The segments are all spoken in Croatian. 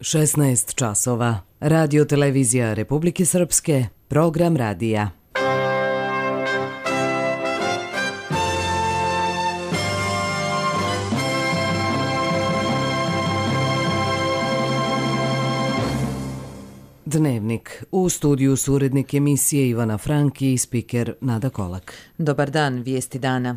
16 časova. Radio televizija Republike Srpske, program radija. Dnevnik. U studiju su urednik emisije Ivana Franki i spiker Nada Kolak. Dobar dan, vijesti dana.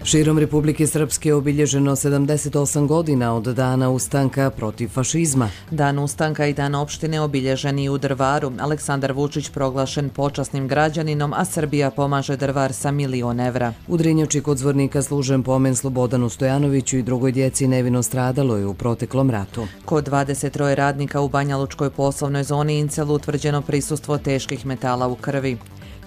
Širom Republike Srpske obilježeno 78 godina od dana ustanka protiv fašizma. Dan ustanka i dan opštine obilježeni u Drvaru. Aleksandar Vučić proglašen počasnim građaninom, a Srbija pomaže Drvar sa 1 milion evra. U Drinjači kod Zvornika služen pomen Slobodanu Stojanoviću i drugoj djeci nevino stradaloj u proteklom ratu. Kod 23 radnika u Banjalučkoj poslovnoj zoni Incel utvrđeno prisustvo teških metala u krvi.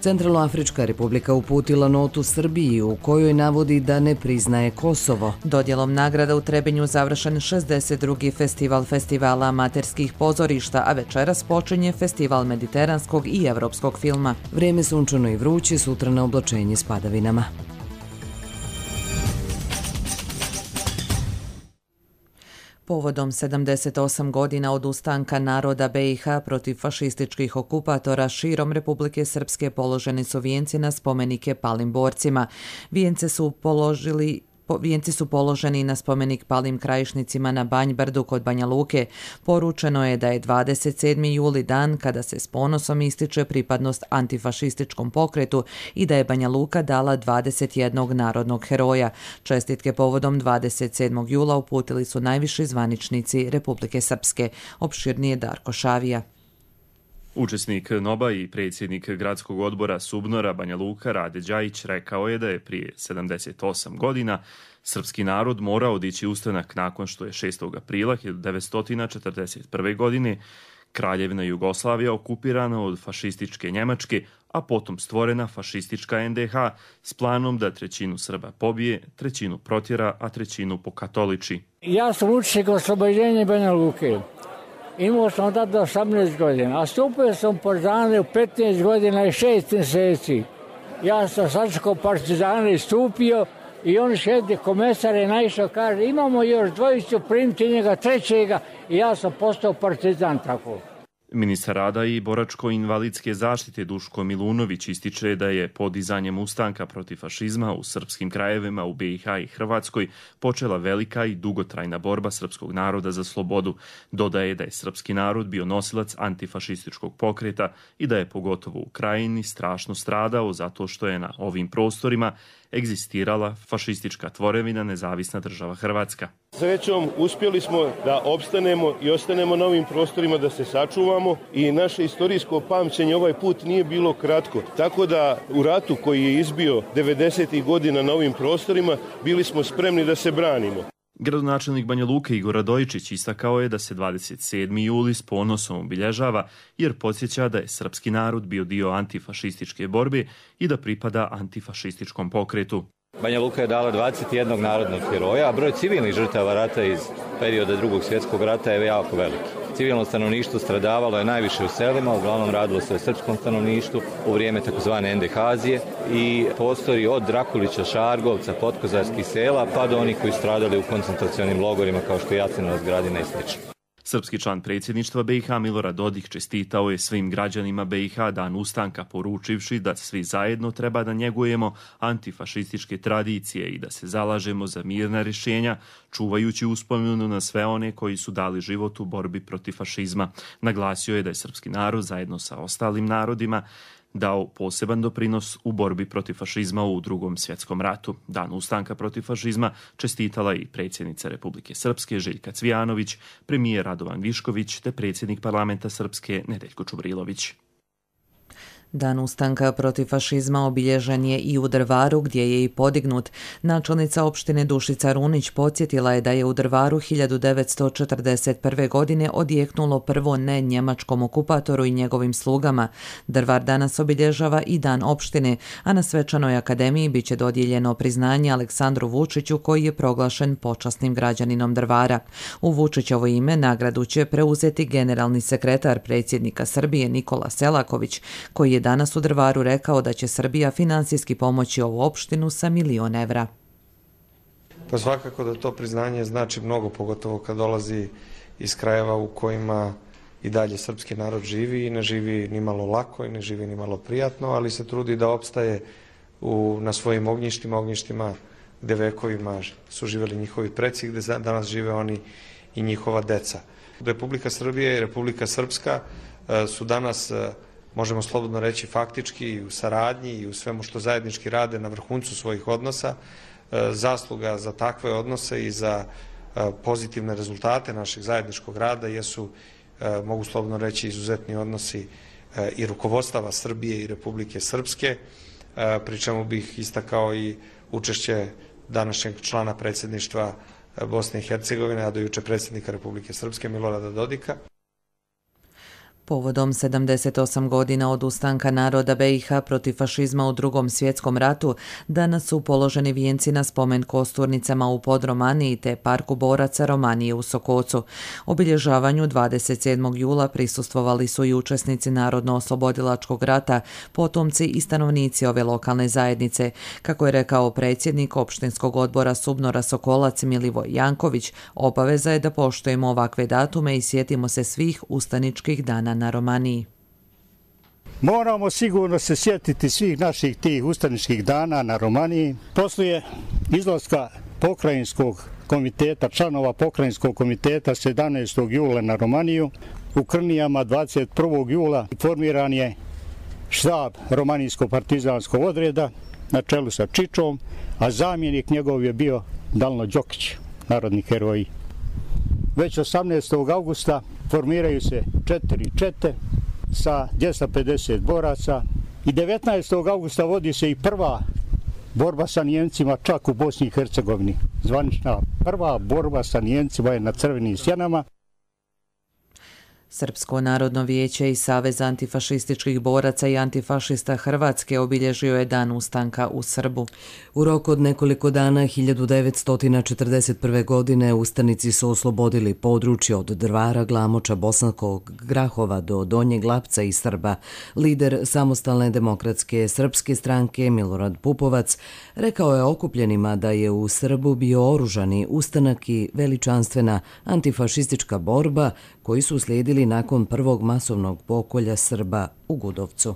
Centralnoafrička republika uputila notu Srbiji u kojoj navodi da ne priznaje Kosovo. Dodjelom nagrada u Trebinju završen 62. festival festivala amaterskih pozorišta, a večeras počinje festival mediteranskog i evropskog filma. Vrijeme sunčano i vruće, sutra na oblačenje s padavinama. Povodom 78 godina od ustanka naroda BiH protiv fašističkih okupatora širom Republike Srpske položeni su vijenci na spomenike palim borcima. Vijenci su položeni na spomenik palim krajišnicima na Banjbrdu kod Banja Luke. Poručeno je da je 27. juli dan kada se s ponosom ističe pripadnost antifašističkom pokretu i da je Banja Luka dala 21 narodnog heroja. Čestitke povodom 27. jula uputili su najviši zvaničnici Republike Srpske. Opširnije Darko Šavija. Učesnik NOBA i predsjednik gradskog odbora Subnora Banja Luka Rade Đajić rekao je da je prije 78 godina srpski narod morao dići ustanak nakon što je 6. aprila 1941. godine Kraljevina Jugoslavija okupirana od fašističke Njemačke, a potom stvorena fašistička NDH s planom da 1/3 Srba pobije, 1/3 protjera, a 1/3 pokatoliči. Ja sam učesnik oslobođenja Banja Luke. Imao sam tada 18 godina, a stupio sam u partizane u 15 godina i 6 mjeseci. Ja sam sačekao partizane i stupio i on šedi komesar je naišao, kaže imamo još dvojicu, primiti njega trećega i ja sam postao partizan tako. Ministar rada i boračko-invalidske zaštite Duško Milunović ističe da je podizanjem ustanka protiv fašizma u srpskim krajevima u BiH i Hrvatskoj počela velika i dugotrajna borba srpskog naroda za slobodu. Dodaje da je srpski narod bio nosilac antifašističkog pokreta i da je pogotovo u Krajini strašno stradao zato što je na ovim prostorima egzistirala fašistička tvorevina Nezavisna država Hrvatska. Srećom uspjeli smo da opstanemo i ostanemo na ovim prostorima, da se sačuvamo i naše istorijsko pamćenje ovaj put nije bilo kratko. Tako da u ratu koji je izbio 90. godina na ovim prostorima bili smo spremni da se branimo. Gradonačelnik Banja Luke Igor Radojičić istakao je da se 27. juli s ponosom obilježava jer podsjeća da je srpski narod bio dio antifašističke borbe i da pripada antifašističkom pokretu. Banja Luka je dala 21 narodnog heroja, a broj civilnih žrtava rata iz perioda Drugog svjetskog rata je jako veliki. Civilno stanovništvo stradavalo je najviše u selima, uglavnom radilo se o srpskom stanovništvu u vrijeme takozvane NDH-azije i postoji od Drakulića, Šargovca, Potkozarskih sela pa do onih koji stradali u koncentracionim logorima kao što je Jasenovac, Gradina i sl. Srpski član predsjedništva BiH Milorad Dodik čestitao je svim građanima BiH dan ustanka poručivši da svi zajedno treba da njegujemo antifašističke tradicije i da se zalažemo za mirna rješenja, čuvajući uspomenu na sve one koji su dali život u borbi protiv fašizma. Naglasio je da je srpski narod zajedno sa ostalim narodima dao poseban doprinos u borbi protiv fašizma u Drugom svjetskom ratu. Dan ustanka protiv fašizma čestitala i predsjednica Republike Srpske Željka Cvijanović, premijer Radovan Višković te predsjednik parlamenta Srpske Nedeljko Čubrilović. Dan ustanka protiv fašizma obilježen je i u Drvaru gdje je i podignut. Načelnica opštine Dušica Runić podsjetila je da je u Drvaru 1941. godine odjeknulo prvo ne njemačkom okupatoru i njegovim slugama. Drvar danas obilježava i dan opštine, a na svečanoj akademiji biće dodijeljeno priznanje Aleksandru Vučiću koji je proglašen počasnim građaninom Drvara. U Vučićovo ime nagradu će preuzeti generalni sekretar predsjednika Srbije Nikola Selaković, koji je danas u Drvaru rekao da će Srbija finansijski pomoći ovu opštinu sa 1 milion evra. Pa svakako da to priznanje znači mnogo, pogotovo kad dolazi iz krajeva u kojima i dalje srpski narod živi i ne živi ni malo lako i ne živi ni malo prijatno, ali se trudi da opstaje na svojim ognjištima gde vekovima su živjeli njihovi preci, gde danas žive oni i njihova deca. Republika Srbija i Republika Srpska su danas, možemo slobodno reći, faktički i u saradnji i u svemu što zajednički rade na vrhuncu svojih odnosa. Zasluga za takve odnose i za pozitivne rezultate našeg zajedničkog rada jesu, mogu slobodno reći, izuzetni odnosi i rukovodstava Srbije i Republike Srpske, pri čemu bih istakao i učešće današnjeg člana predsjedništva Bosne i Hercegovine, a do juče predsjednika Republike Srpske Milorada Dodika. Povodom 78 godina od ustanka naroda BiH protiv fašizma u Drugom svjetskom ratu, danas su položeni vijenci na spomen kosturnicama u Podromaniji te Parku boraca Romanije u Sokocu. Obilježavanju 27. jula prisustvovali su i učesnici Narodno-oslobodilačkog rata, potomci i stanovnici ove lokalne zajednice. Kako je rekao predsjednik opštinskog odbora Subnora Sokolac Milivoj Janković, obaveza je da poštujemo ovakve datume i sjetimo se svih ustaničkih dana na Romaniji. Moramo sigurno se sjetiti svih naših tih ustaničkih dana na Romaniji. Poslije izlaska pokrajinskog komiteta, članova pokrajinskog komiteta 17. jula na Romaniju, u Krnijama 21. jula formiran je štab romanijsko-partizanskog odreda na čelu sa Čičom, a zamjenik njegov je bio Dalno Đokić, narodni heroji. Već 18. augusta formiraju se 4 čete sa 250 boraca i 19. augusta vodi se i prva borba sa Nijemcima čak u Bosni i Hercegovini. Zvanična prva borba sa Nijemcima je na Crvenim sjenama. Srpsko narodno vijeće i Savez antifašističkih boraca i antifašista Hrvatske obilježio je dan ustanka u Srbu. U roku od nekoliko dana 1941. godine ustanici su oslobodili područje od Drvara, Glamoča, Bosanskog Grahova do Donjeg Lapca i Srba. Lider Samostalne demokratske srpske stranke Milorad Pupovac rekao je okupljenima da je u Srbu bio oružani ustanak i veličanstvena antifašistička borba koji su slijedili nakon prvog masovnog pokolja Srba u Gudovcu.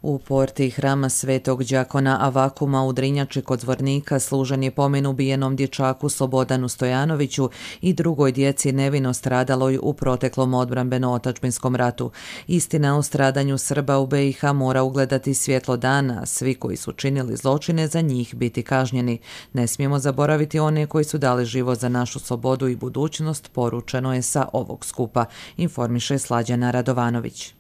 U porti hrama Svetog đakona Avakuma u Drinjači kod Zvornika služen je pomen ubijenom dječaku Slobodanu Stojanoviću i drugoj djeci nevino stradaloj u proteklom odbrambeno-otačbinskom ratu. Istina o stradanju Srba u BiH mora ugledati svjetlo dana, svi koji su činili zločine za njih biti kažnjeni. Ne smijemo zaboraviti one koji su dali život za našu slobodu i budućnost, poručeno je sa ovog skupa, informiše Slađana Radovanović.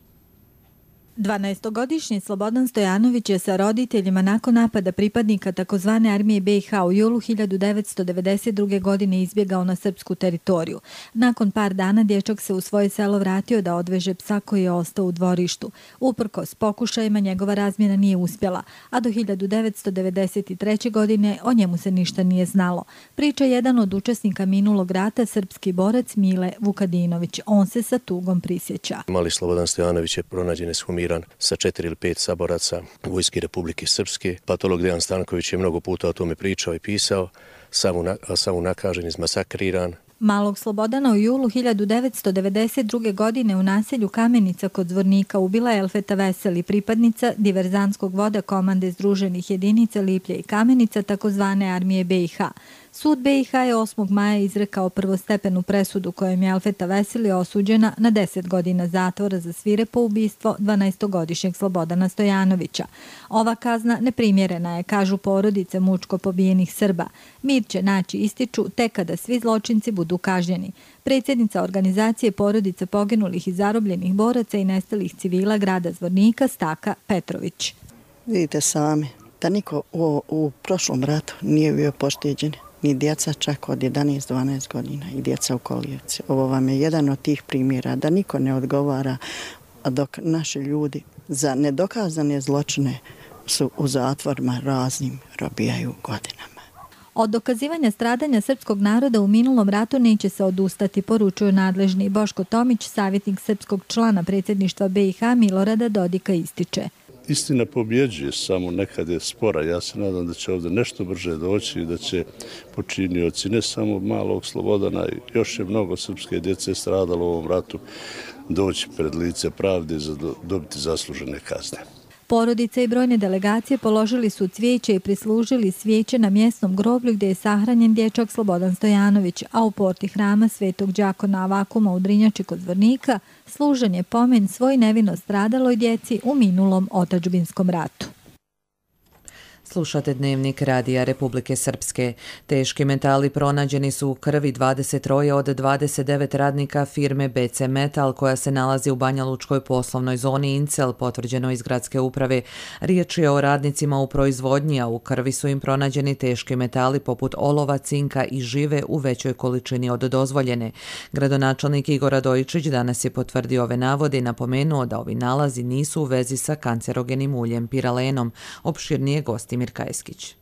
12-godišnji Slobodan Stojanović je sa roditeljima nakon napada pripadnika takozvane armije BiH u julu 1992. godine izbjegao na srpsku teritoriju. Nakon par dana dječak se u svoje selo vratio da odveže psa koji je ostao u dvorištu. Uprkos pokušajima njegova razmjena nije uspjela, a do 1993. godine o njemu se ništa nije znalo. Priča jedan od učesnika minulog rata, srpski borac Mile Vukadinović. On se sa tugom prisjeća. Mali Slobodan Stojanović je pronađen ekshumiran sa 4 ili 5 saboraca vojske Republike Srpske. Patolog Dejan Stanković je mnogo puta o tome pričao i pisao, sam unakažen, izmasakriran. Malog Slobodana u julu 1992. godine u naselju Kamenica kod Zvornika ubila je Elfeta Veseli, pripadnica diverzantskog voda komande Združenih jedinica Liplje i Kamenica, takozvane armije BiH. Sud BiH je 8. maja izrekao prvostepenu presudu kojom je Elfeta Veseli osuđena na 10 godina zatvora za svirepo ubistvo 12-godišnjeg Slobodana Stojanovića. Ova kazna neprimjerena je, kažu porodice mučko pobijenih Srba. Mir će naći, ističu, tek kada svi zločinci budu kažnjeni. Predsjednica organizacije porodice poginulih i zarobljenih boraca i nestalih civila grada Zvornika Staka Petrović. Vidite sami da niko u prošlom ratu nije bio pošteđen. Ni djeca čak od 11-12 godina i djeca u kolijevci. Ovo vam je jedan od tih primjera da niko ne odgovara, a dok naši ljudi za nedokazane zločine su u zatvorima raznim robijaju godinama. Od dokazivanja stradanja srpskog naroda u minulom ratu neće se odustati, poručuju nadležni. Boško Tomić, savjetnik srpskog člana predsjedništva BiH Milorada Dodika, ističe. Istina pobjeđuje, samo nekad je spora. Ja se nadam da će ovdje nešto brže doći i da će počinioci ne samo malog Slobodana, još je mnogo srpske djece stradalo u ovom ratu, doći pred lice pravde i dobiti zaslužene kazne. Porodice i brojne delegacije položili su cvijeće i prislužili svijeće na mjesnom groblju gdje je sahranjen dječak Slobodan Stojanović, a u porti hrama Svetog đakona Avakuma u Drinjači kod Zvornika služen je pomen svoj nevino stradaloj djeci u minulom otadžbinskom ratu. Slušate Dnevnik Radija Republike Srpske. Teški metali pronađeni su u krvi 23 od 29 radnika firme BC Metal koja se nalazi u Banjalučkoj poslovnoj zoni Incel, potvrđeno iz gradske uprave. Riječ je o radnicima u proizvodnji, a u krvi su im pronađeni teški metali poput olova, cinka i žive u većoj količini od dozvoljene. Gradonačelnik Igor Radojičić danas je potvrdio ove navode i napomenuo da ovi nalazi nisu u vezi sa kancerogenim uljem piralenom. Opširnije gosti Mirka Eskić.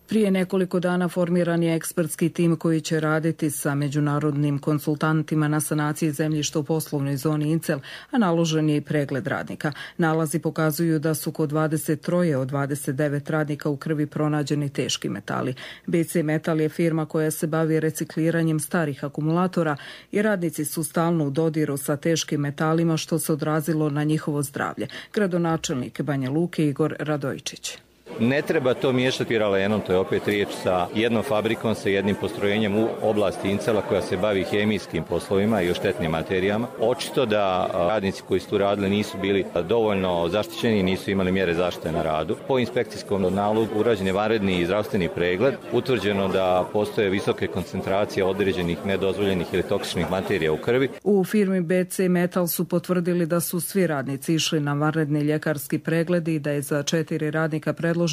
Prije nekoliko dana formiran je ekspertski tim koji će raditi sa međunarodnim konsultantima na sanaciji zemljišta u poslovnoj zoni Incel, a naložen je i pregled radnika. Nalazi pokazuju da su kod 23 od 29 radnika u krvi pronađeni teški metali. BC Metal je firma koja se bavi recikliranjem starih akumulatora i radnici su stalno u dodiru sa teškim metalima što se odrazilo na njihovo zdravlje. Gradonačelnik Banja Luke Igor Radojičić. Ne treba to miješati piralenom, to je opet riječ sa jednom fabrikom, sa jednim postrojenjem u oblasti Incela koja se bavi hemijskim poslovima i štetnim materijama. Očito da radnici koji su tu radili nisu bili dovoljno zaštićeni i nisu imali mjere zaštite na radu. Po inspekcijskom nalogu urađen je vanredni i zdravstveni pregled, utvrđeno da postoje visoke koncentracije određenih nedozvoljenih ili toksičnih materija u krvi. U firmi BC Metal su potvrdili da su svi radnici išli na vanredni ljekarski pregled i da je za 4 radnika predloženo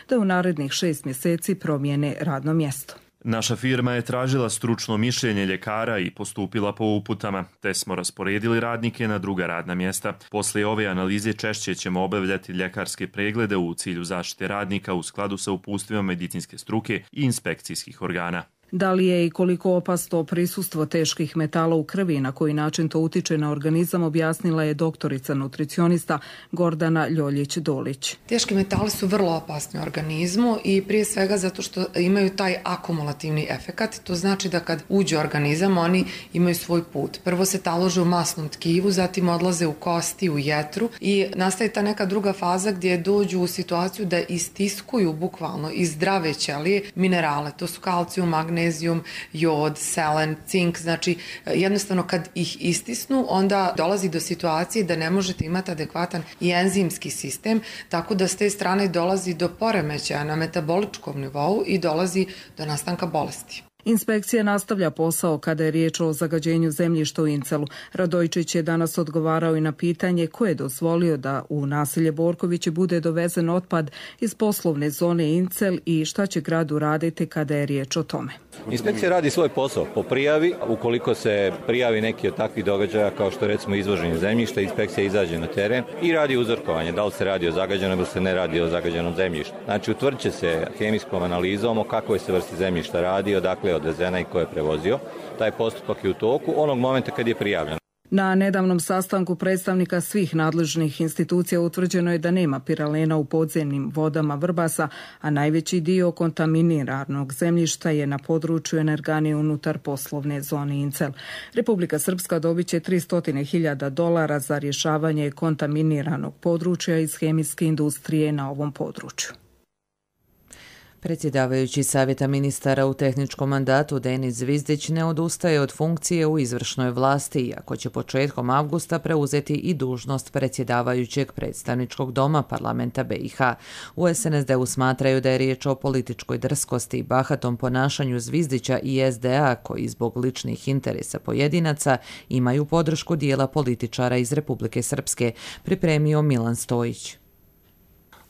da u narednih 6 mjeseci promijene radno mjesto. Naša firma je tražila stručno mišljenje ljekara i postupila po uputama, te smo rasporedili radnike na druga radna mjesta. Poslije ove analize češće ćemo obavljati ljekarske preglede u cilju zaštite radnika u skladu sa uputstvima medicinske struke i inspekcijskih organa. Da li je i koliko opasno prisustvo teških metala u krvi i na koji način to utiče na organizam, objasnila je doktorica nutricionista Gordana Ljoljić-Dolić. Teški metali su vrlo opasni u organizmu i prije svega zato što imaju taj akumulativni efekat. To znači da kad uđe u organizam oni imaju svoj put. Prvo se talože u masnom tkivu, zatim odlaze u kosti, u jetru i nastaje ta neka druga faza gdje dođu u situaciju da istiskuju bukvalno iz zdrave ćelije minerale. To su kalcijum, magnezijum, jod, selen, cink, znači jednostavno kad ih istisnu onda dolazi do situacije da ne možete imati adekvatan i enzimski sistem, tako da s te strane dolazi do poremećaja na metaboličkom nivou i dolazi do nastanka bolesti. Inspekcija nastavlja posao kada je riječ o zagađenju zemljišta u Incelu. Radojičić je danas odgovarao i na pitanje ko je dozvolio da u naselje Borkovići bude dovezen otpad iz poslovne zone Incel i šta će grad uraditi kada je riječ o tome. Inspekcija radi svoj posao po prijavi. Ukoliko se prijavi neki od takvih događaja kao što recimo izvoženje zemljišta, inspekcija izađe na teren i radi uzorkovanje. Da li se radi o zagađenom ili se ne radi o zagađenom zemljištu. Znači utvrdit će se hemijskom analizom o kakvoj se vrsti zemljišta radi, odakle je odvezena i ko je prevozio. Taj postupak je u toku onog momenta kad je prijavljen. Na nedavnom sastanku predstavnika svih nadležnih institucija utvrđeno je da nema piralena u podzemnim vodama Vrbasa, a najveći dio kontaminiranog zemljišta je na području energane unutar poslovne zone Incel. Republika Srpska dobit će $300.000 za rješavanje kontaminiranog područja iz hemijske industrije na ovom području. Predsjedavajući Savjeta ministara u tehničkom mandatu Denis Zvizdić ne odustaje od funkcije u izvršnoj vlasti, iako će početkom avgusta preuzeti i dužnost predsjedavajućeg predstavničkog doma parlamenta BiH. U SNSD-u smatraju da je riječ o političkoj drskosti i bahatom ponašanju Zvizdića i SDA, koji zbog ličnih interesa pojedinaca imaju podršku dijela političara iz Republike Srpske, pripremio Milan Stojić.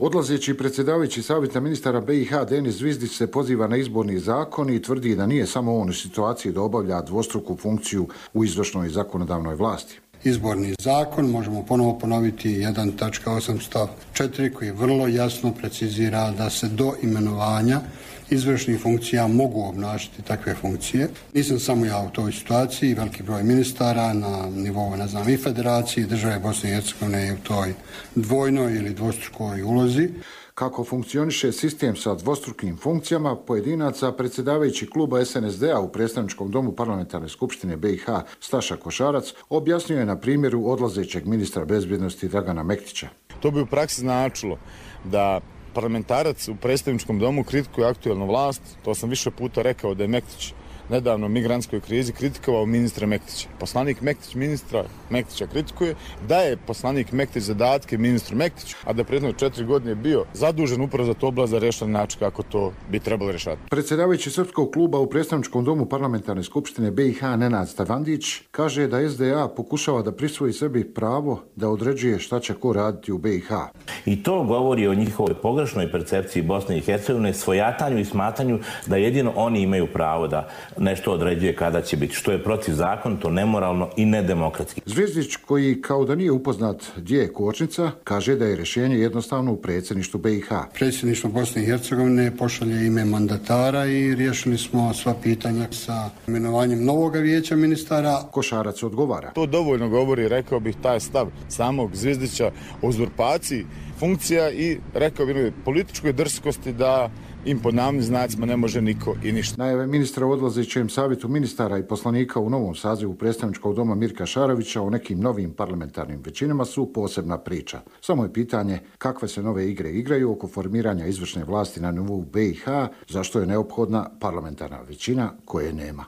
Odlazeći predsjedavajući Savjeta ministara BiH Denis Zvizdić se poziva na izborni zakon i tvrdi da nije samo on u situaciji da obavlja dvostruku funkciju u izvršnoj i zakonodavnoj vlasti. Izborni zakon, možemo ponovo ponoviti 1.8 stav 4 koji vrlo jasno precizira da se do imenovanja izvršnih funkcija mogu obnašati takve funkcije. Nisam samo ja u toj situaciji, veliki broj ministara na nivou, i federacije, države Bosne i Hercegovine je u toj dvojnoj ili dvostrukoj ulozi. Kako funkcioniše sistem sa dvostrukim funkcijama pojedinaca, predsjedavajući kluba SNSD-a u predstavničkom domu Parlamentarne skupštine BiH Staša Košarac objasnio je na primjeru odlazećeg ministra bezbjednosti Dragana Mektića. To bi u praksi značilo da parlamentarac u predstavničkom domu kritikuje aktuelnu vlast. To sam više puta rekao da je Mektić nedavno u migrantskoj krizi kritikovao ministra Mektića. Poslanik Mektić ministra Mektića kritikuje, daje poslanik Mektić zadatke ministru Mektiću, a da prethodne 4 godine bio zadužen upravo za to oblast da reši način kako to bi trebalo rešati. Predsjedavajući srpskog kluba u predstavničkom domu Parlamentarne skupštine BiH Nenad Stavandić kaže da SDA pokušava da prisvoji sebi pravo da određuje šta će ko raditi u BiH. I to govori o njihovoj pogrešnoj percepciji Bosne i Hercegovine, svojatanju i smatranju da jedino oni imaju pravo da nešto određuje kada će biti, što je protivzakonito, nemoralno i nedemokratski. Zvijezdić, koji kao da nije upoznat gdje je kočnica, kaže da je rješenje jednostavno u predsjedništvu BiH. Predsjedništvo Bosne i Hercegovine pošalje ime mandatara i riješili smo sva pitanja sa imenovanjem novog vijeća ministara. Košarac odgovara. To dovoljno govori, rekao bih, taj stav samog Zvijezdića o uzurpaciji funkcija i, rekao bih, političkoj drskosti da im pod navodnim znacima ne može niko i ništa. Najave ministra o odlazećem savjetu ministara i poslanika u novom sazivu predstavničkog doma Mirka Šarovića o nekim novim parlamentarnim većinama su posebna priča. Samo je pitanje kakve se nove igre igraju oko formiranja izvršne vlasti na nivou BiH, zašto je neophodna parlamentarna većina koje nema.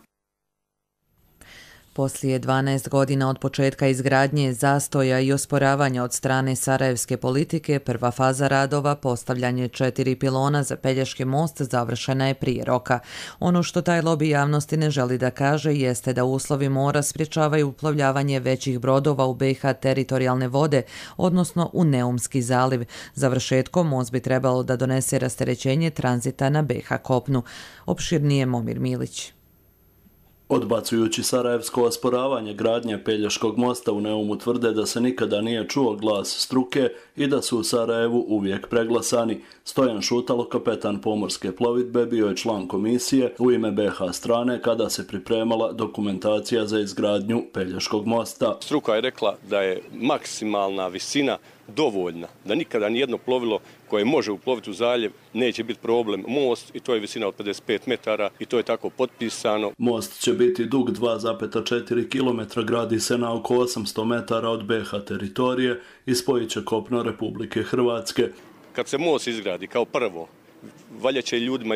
Poslije 12 godina od početka izgradnje, zastoja i osporavanja od strane sarajevske politike, prva faza radova, postavljanje 4 pilona za Pelješki most, završena je prije roka. Ono što taj lobi javnosti ne želi da kaže jeste da uslovi mora sprječavaju uplovljavanje većih brodova u BiH teritorijalne vode, odnosno u Neumski zaliv. Završetkom most bi trebalo da donese rasterećenje tranzita na BiH kopnu. Opširnije Momir Milić. Odbacujući sarajevsko osporavanje gradnje Pelješkog mosta u Neumu tvrde da se nikada nije čuo glas struke i da su u Sarajevu uvijek preglasani. Stojan Šutalo, kapetan pomorske plovidbe, bio je član komisije u ime BiH strane kada se pripremala dokumentacija za izgradnju Pelješkog mosta. Struka je rekla da je maksimalna visina dovoljna, da nikada nijedno plovilo koje može uploviti u zaljev neće biti problem most i to je visina od 55 metara i to je tako potpisano. Most će biti dug 2,4 km, gradi se na oko 800 metara od BiH teritorije i spojit će kopno Republike Hrvatske. Kad se most izgradi kao prvo, valja će ljudima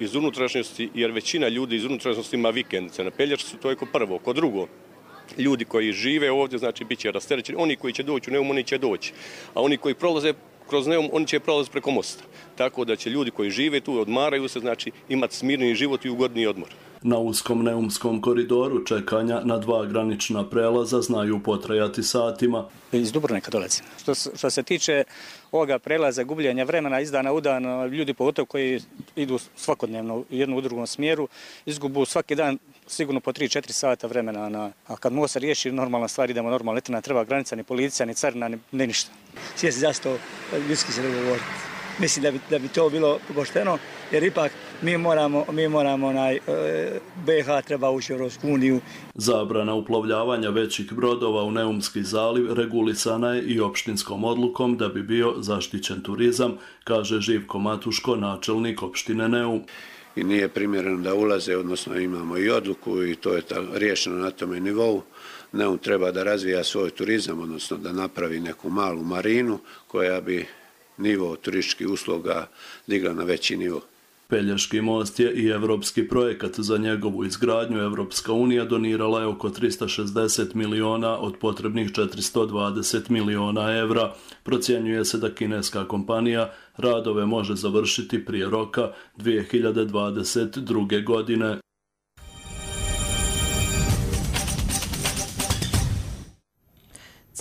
iz unutrašnjosti, jer većina ljudi iz unutrašnjosti ima vikendice na Pelješcu, to je kao prvo. Kod drugo, ljudi koji žive ovdje, znači bit će rasterećeni, oni koji će doći u Neum, oni će doći, a oni koji prolaze kroz Neum, oni će prolaziti preko mosta. Tako da će ljudi koji žive tu, odmaraju se, znači imati smirniji život i ugodniji odmor. Na uskom Neumskom koridoru čekanja na 2 granična prelaza znaju potrajati satima. Iz Dubrovnika dolazim. Što se tiče ovoga prelaza, gubljenja vremena iz dana u dan, ljudi pogotovo koji idu svakodnevno u jednu u drugom smjeru, izgubu svaki dan sigurno po 3-4 sata vremena. A kad most se riješi, normalna stvar, idemo normalno, ne treba granica, ni policija, ni carina, ni ništa. Svijesti zašto ljudski se ne govoriti. Mislim da bi to bilo pošteno, jer ipak mi moramo BiH treba ući u Europsku uniju. Zabrana uplovljavanja većih brodova u Neumski zaliv regulisana je i opštinskom odlukom da bi bio zaštićen turizam, kaže Živko Matuško, načelnik opštine Neum. I nije primjereno da ulaze, odnosno imamo i odluku i to je riješeno na tome nivou. Neum treba da razvija svoj turizam, odnosno da napravi neku malu marinu koja bi nivo turističkih usluga digla na veći nivo. Pelješki most je i evropski projekat. Za njegovu izgradnju Evropska unija donirala je oko 360 miliona od potrebnih 420 miliona evra. Procjenjuje se da kineska kompanija radove može završiti prije roka 2022. godine.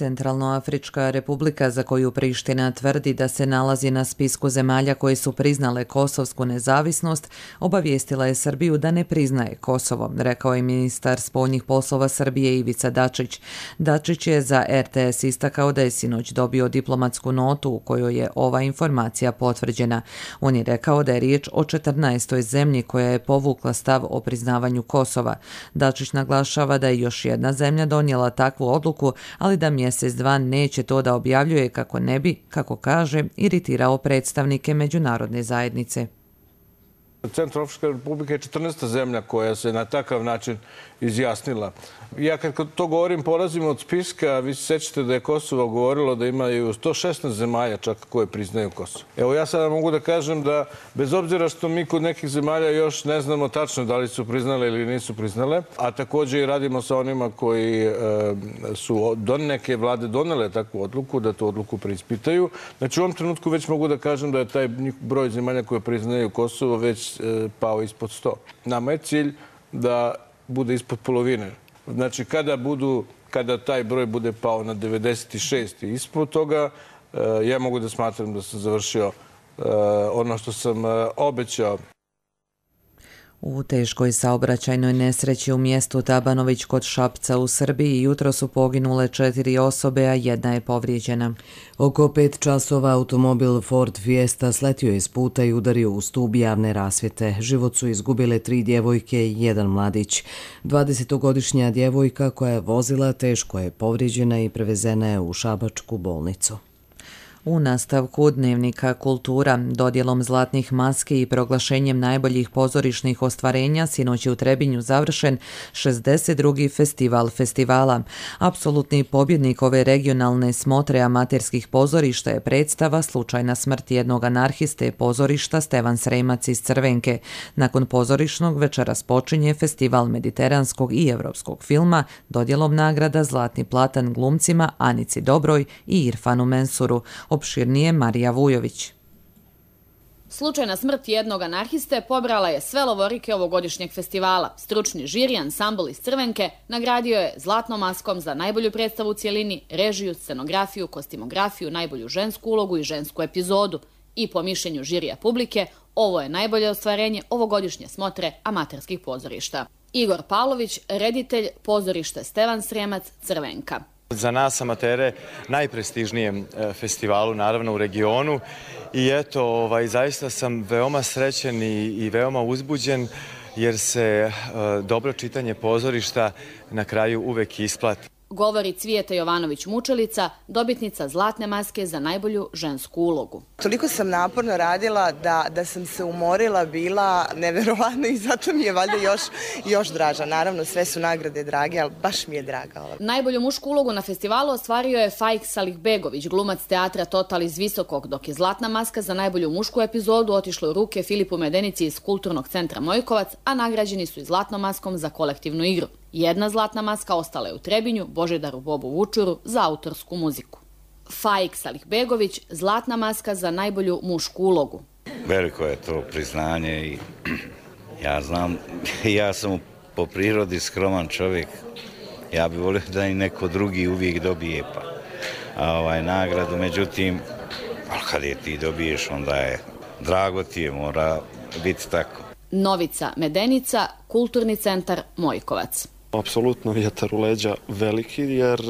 Centralnoafrička republika, za koju Priština tvrdi da se nalazi na spisku zemalja koje su priznale kosovsku nezavisnost, obavijestila je Srbiju da ne priznaje Kosovo, rekao je ministar spoljnih poslova Srbije Ivica Dačić. Dačić je za RTS istakao da je sinoć dobio diplomatsku notu u kojoj je ova informacija potvrđena. On je rekao da je riječ o 14. zemlji koja je povukla stav o priznavanju Kosova. Dačić naglašava da je još jedna zemlja donijela takvu odluku, ali da mjesec dva neće to da objavljuje kako ne bi, kako kaže, iritirao predstavnike međunarodne zajednice. Centralnoafrička republika je 14. zemlja koja se na takav način izjasnila. Ja kad to govorim, polazim od spiska, vi se sjećate da je Kosovo govorilo da imaju 116 zemalja čak koje priznaju Kosovo. Evo ja sada mogu da kažem da bez obzira što mi kod nekih zemalja još ne znamo tačno da li su priznale ili nisu priznale, a također i radimo sa onima koji su neke vlade donele takvu odluku, da tu odluku preispitaju. Znači u ovom trenutku već mogu da kažem da je taj broj zemalja koje priznaju Kosovo već pao ispod 100. Nama je cilj da bude ispod polovine. Znači, kada taj broj bude pao na 96 i ispod toga, ja mogu da smatram da sam završio ono što sam obećao. U teškoj saobraćajnoj nesreći u mjestu Tabanović kod Šapca u Srbiji jutro su poginule 4 osobe, a jedna je povrijeđena. Oko 5 časova automobil Ford Fiesta sletio je s puta i udario u stub javne rasvjete. Život su izgubile 3 djevojke i 1 mladić. 20-godišnja djevojka koja je vozila teško je povrijeđena i prevezena je u šabačku bolnicu. U nastavku Dnevnika kultura, dodjelom zlatnih maski i proglašenjem najboljih pozorišnih ostvarenja sinoć je u Trebinju završen 62. festival festivala. Apsolutni pobjednik ove regionalne smotre amaterskih pozorišta je predstava Slučajna smrt jednog anarhiste pozorišta Stevan Sremac iz Crvenke. Nakon pozorišnog večeras počinje festival mediteranskog i evropskog filma dodjelom nagrada Zlatni platan glumcima Anici Dobroj i Irfanu Mensuru. Opširnije Marija Vujović. Slučajna smrt jednog anarhiste pobrala je sve lovorike ovogodišnjeg festivala. Stručni žiri ansambl iz Crvenke nagradio je zlatnom maskom za najbolju predstavu u cjelini, režiju, scenografiju, kostimografiju, najbolju žensku ulogu i žensku epizodu. I po mišljenju žirija publike, ovo je najbolje ostvarenje ovogodišnje smotre amaterskih pozorišta. Igor Pavlović, reditelj pozorište Stevan Sremac, Crvenka. Za nas amatere najprestižnijem festivalu, naravno u regionu. I eto, zaista sam veoma srećen i veoma uzbuđen jer se dobro čitanje pozorišta na kraju uvek isplati. Govori Cvijeta Jovanović-Mučelica, dobitnica zlatne maske za najbolju žensku ulogu. Toliko sam naporno radila da sam se umorila, bila neverovatno i zato mi je valjda još draža. Naravno, sve su nagrade drage, ali baš mi je draga. Najbolju mušku ulogu na festivalu ostvario je Faik Salihbegović, glumac teatra Total iz Visokog, dok je zlatna maska za najbolju mušku epizodu otišla u ruke Filipu Medenici iz Kulturnog centra Mojkovac, a nagrađeni su i zlatnom maskom za kolektivnu igru. Jedna zlatna maska ostala je u Trebinju, Božidaru Bobu Vučuru za autorsku muziku. Faik Salihbegović, zlatna maska za najbolju mušku ulogu. Veliko je to priznanje i ja znam, ja sam po prirodi skroman čovjek. Ja bih volio da i neko drugi uvijek dobije nagradu, međutim, kad je ti dobiješ, onda je drago ti je, mora biti tako. Novica Medenica, Kulturni centar Mojkovac. Apsolutno vjetar u leđa veliki, jer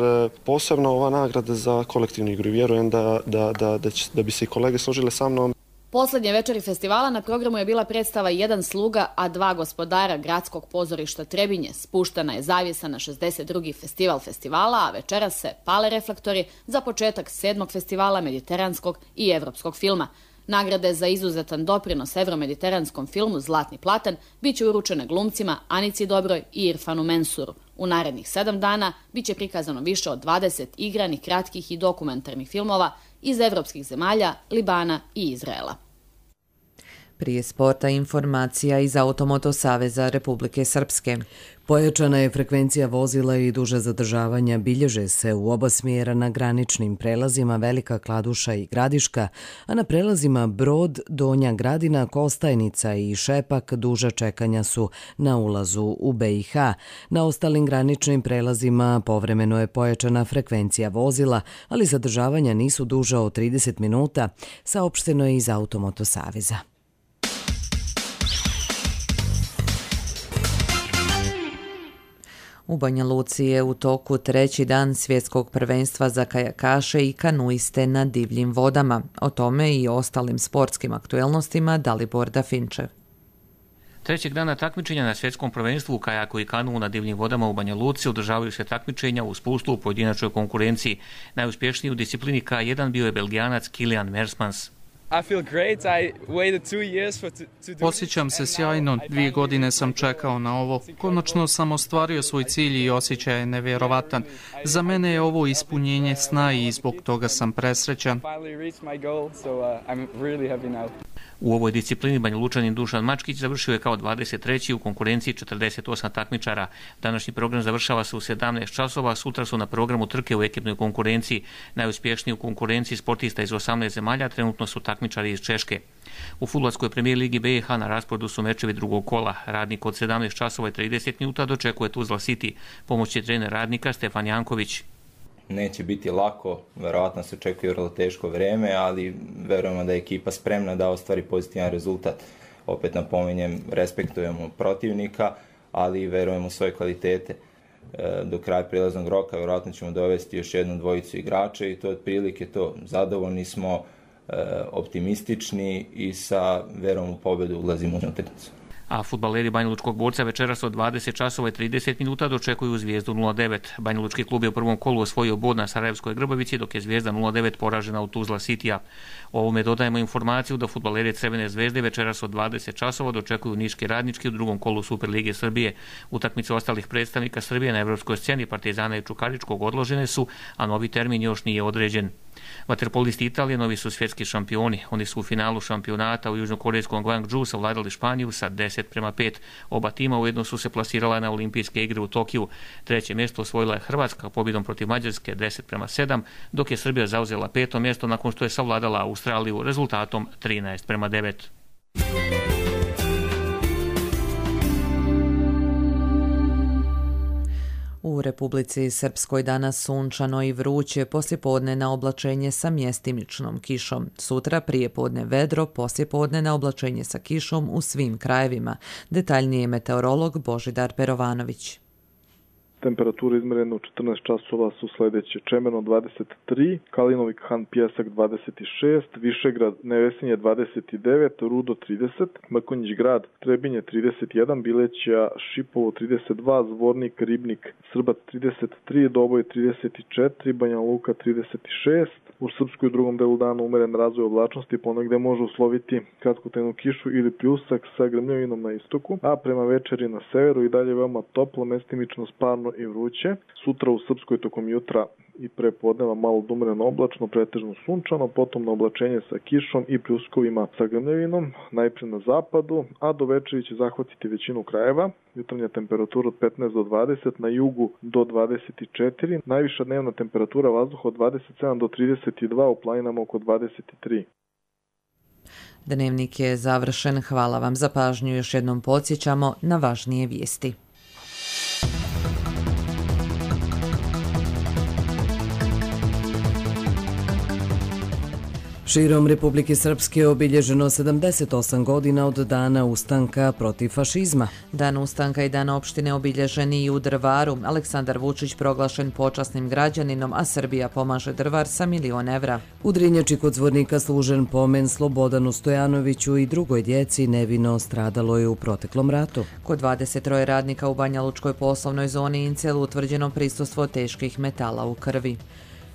posebno ova nagrada za kolektivnu igru. Vjerujem da bi se i kolege složile sa mnom. Poslednje večeri festivala na programu je bila predstava Jedan sluga, a 2 gospodara gradskog pozorišta Trebinje. Spuštana je zavjesa na 62. festival festivala, a večeras se pale reflektori za početak 7. festivala mediteranskog i evropskog filma. Nagrade za izuzetan doprinos evromediteranskom filmu Zlatni platan bit će uručene glumcima Anici Dobroj i Irfanu Mensuru. U narednih 7 dana bit će prikazano više od 20 igranih, kratkih i dokumentarnih filmova iz evropskih zemalja, Libana i Izraela. Prije sporta informacija iz Automoto Saveza Republike Srpske. Pojačana je frekvencija vozila i duže zadržavanja bilježe se u oba smjera na graničnim prelazima Velika Kladuša i Gradiška, a na prelazima Brod, Donja Gradina, Kostajnica i Šepak duža čekanja su na ulazu u BiH. Na ostalim graničnim prelazima povremeno je pojačana frekvencija vozila, ali zadržavanja nisu duža od 30 minuta, saopšteno je iz Automoto Saveza. U Banja Luci je u toku treći dan svjetskog prvenstva za kajakaše i kanuiste na divljim vodama. O tome i ostalim sportskim aktuelnostima Dalibor Dafinčev. Trećeg dana takmičenja na svjetskom prvenstvu u kajaku i kanu na divljim vodama u Banja Luci održavaju se takmičenja u spuslu u pojedinačnoj konkurenciji. Najuspješniji u disciplini K1 bio je Belgijanac Kilian Mersmans. Osjećam se sjajno, 2 godine sam čekao na ovo. Konačno sam ostvario svoj cilj i osjećaj je nevjerovatan. Za mene je ovo ispunjenje sna i zbog toga sam presrećan. U ovoj disciplini Banjalučanin Dušan Mačkić završio je kao 23. u konkurenciji 48 takmičara. Današnji program završava se u 17 časova, sutra su na programu trke u ekipnoj konkurenciji. Najuspješniji u konkurenciji sportista iz 18 zemalja trenutno su takmičari iz Češke. U fudbalskoj premijer ligi BiH na rasporedu su mečevi drugog kola. Radnik od 17 časova i 30 minuta dočekuje Tuzla City. Pomoćni trener Radnika Stefan Janković. Neće biti lako, verovatno se očekuje vrlo teško vrijeme, ali verujemo da je ekipa spremna da ostvari pozitivan rezultat. Opet napominjem, respektujemo protivnika, ali verujemo u svoje kvalitete. Do kraja prilaznog roka verovatno ćemo dovesti još jednu dvojicu igrača i to je otprilike to. Zadovoljni smo, optimistični i sa verom u pobjedu ulazimo u utakmicu. A fudbaleri Banjalučkog Borca večeras od 20 časova i 30 minuta dočekuju Zvijezdu 0-9. Banjalučki klub je u prvom kolu osvojio bod na Sarajevskoj Grbavici, dok je Zvijezda 0-9 poražena u Tuzla Citya. O ovome dodajemo informaciju da fudbaleri Crvene Zvezde večeras od 20 časova dočekuju Niški Radnički u drugom kolu Superlige Srbije. Utakmice ostalih predstavnika Srbije na evropskoj sceni Partizana i Čukaričkog odložene su, a novi termin još nije određen. Vaterpolisti Italije novi su svjetski šampioni. Oni su u finalu šampionata u južnokorejskom Gwangju savladali Španiju sa 10-5. Oba tima ujedno su se plasirala na olimpijske igre u Tokiju. Treće mjesto osvojila je Hrvatska pobjedom protiv Mađarske 10-7, dok je Srbija zauzela 5. mjesto nakon što je savladala Australiju rezultatom 13-9. U Republici Srpskoj danas sunčano i vruće, poslijepodne na oblačenje sa mjestimičnom kišom. Sutra prijepodne vedro, poslijepodne na oblačenje sa kišom u svim krajevima. Detaljnije meteorolog Božidar Perovanović. Temperature izmjerene u 14 časova su sljedeće: Čemerno 23, Kalinovi Han Pjesak 26, Višegrad Nevesinje 29, Rudo 30, Mrkonjić Grad Trebinje 31, Bileća Šipovo 32, Zvornik Ribnik Srbac 33, Doboj 34, Banja Luka 36. U Srpskoj u drugom delu dana umeren razvoj oblačnosti, ponegde može usloviti kratkotrajnu kišu ili pljusak sa grmljavinom na istoku, a prema večeri na severu i dalje veoma toplo, mestimično sparno i vruće. Sutra u Srpskoj tokom jutra i prepodneva malo umereno oblačno, pretežno sunčano, potom na oblačenje sa kišom i pljuskovima sa grmljavinom, najprije na zapadu, a do večeri će zahvatiti većinu krajeva. Jutarnja temperatura od 15 do 20, na jugu do 24, najviša dnevna temperatura vazduha od 27 do 32, u planinama oko 23. Dnevnik je završen. Hvala vam za pažnju. Još jednom podsjećamo na važnije vijesti. Širom Republike Srpske obilježeno 78 godina od dana ustanka protiv fašizma. Dan ustanka i dan opštine obilježeni i u Drvaru. Aleksandar Vučić proglašen počasnim građaninom, a Srbija pomaže Drvar sa 1 milion evra. U Drinjači kod Zvornika služen pomen Slobodanu Stojanoviću i drugoj djeci nevino stradalo je u proteklom ratu. Kod 23 radnika u Banjalučkoj poslovnoj zoni Incel utvrđeno prisustvo teških metala u krvi.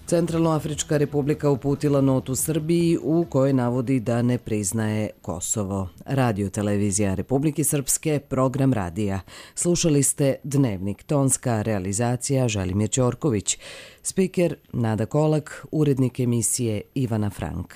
Centralnoafrička republika uputila notu Srbiji u kojoj navodi da ne priznaje Kosovo. Radio televizija Republike Srpske, program radija. Slušali ste Dnevnik, tonska realizacija Želimir Ćorković, spiker Nada Kolak, urednik emisije Ivana Frank.